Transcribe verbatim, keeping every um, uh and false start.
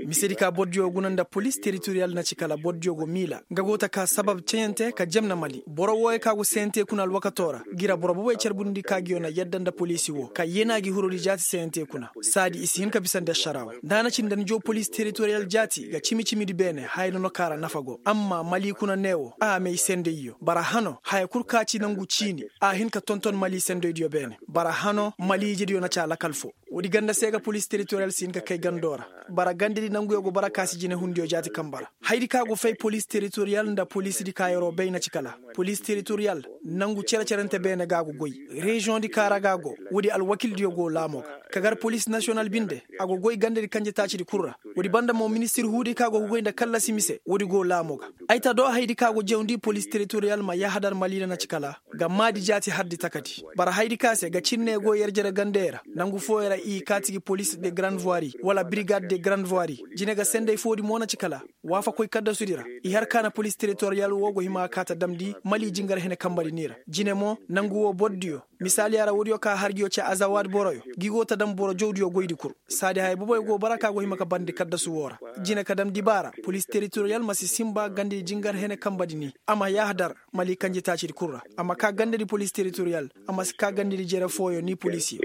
Mise di ka bordiyo guna nda polis teritoriyal na ci kala bordiyo go miila nga go ta ka sabab cayante ka jemna mali boro wooyo ka go seyante kuna alwakato ra. Gira boro bobey carbundi ka gi yo na yadda nda poliisi woo ka yeenaa gi hurudi jaati seyante kuna. Saadi i si hin ka bisandi ašaraa woo nda a na ci nda ni joo polis teritoriyal jaati ga cimi-cimidi beene haya nono ka ra nafa go amma mali kuna nee woo a may sendayyo bara hano haya kul ka ci nangu ciini. A hin ka tonton mali sendoydiyo beene bara hano mali ijediyo na ci a lakal foo. Woodi ganda se ga polis teritoriyal si hin ka kay gandoo ra. Bara gandedi nanguyo go bara ka si jinehundiyo jaati kamba ra. Hayadi ka go fay polis teritoriyal nda polisidi ka yer'o bay na ci kala polis teritoriyal nangu cere-cerente beene ga a go goy. Reziyoŋdi ka ra ga a go woodi alwakildiyo go laamoo ga ka gar polis nasiyonal binde. A go goy gandedi kanje taacidi kul ra. Woodi banda mo ministir huudi ka go ga goy nda kallasi mise woodi go laamoo ga. Ay ta do hayadi ka go jawndi polis teritoriyal ma yahadar maliila na ci kala ga maadi jaati hardi takadi. Bara hayadi ka se ga cinne go yerjere gandey ra nangu fooyo ra i kaati gi polis de garand vuwari wala birigad de garand vuwari. Jine ga senday foodi mo na ci kala waafakoy kaddasudi ra. I har ka na polis teritoriyal woo go hima ga kaa ta damndi mali jingar hene kambadi ni ra. Jine mo nangu woo bordiyo misaaliya ra woodiyo ka har ngiyo ci azawaad boroyo ngi go ta dam boro jawdiyo goydi kul. Saadi haya boboyo go bara ka go hima ka barndi kaddasu woo ra. Jine ka dam dibaara polis teritoriyal ma si sinba gandedi jingar hene kambadi ni. A ma yahadar mali kanjetaacidi kul ra. A ma kaa gandedi polis teritoriyal. A ma si kaa gandedi jere fooyo ni poliisiyo.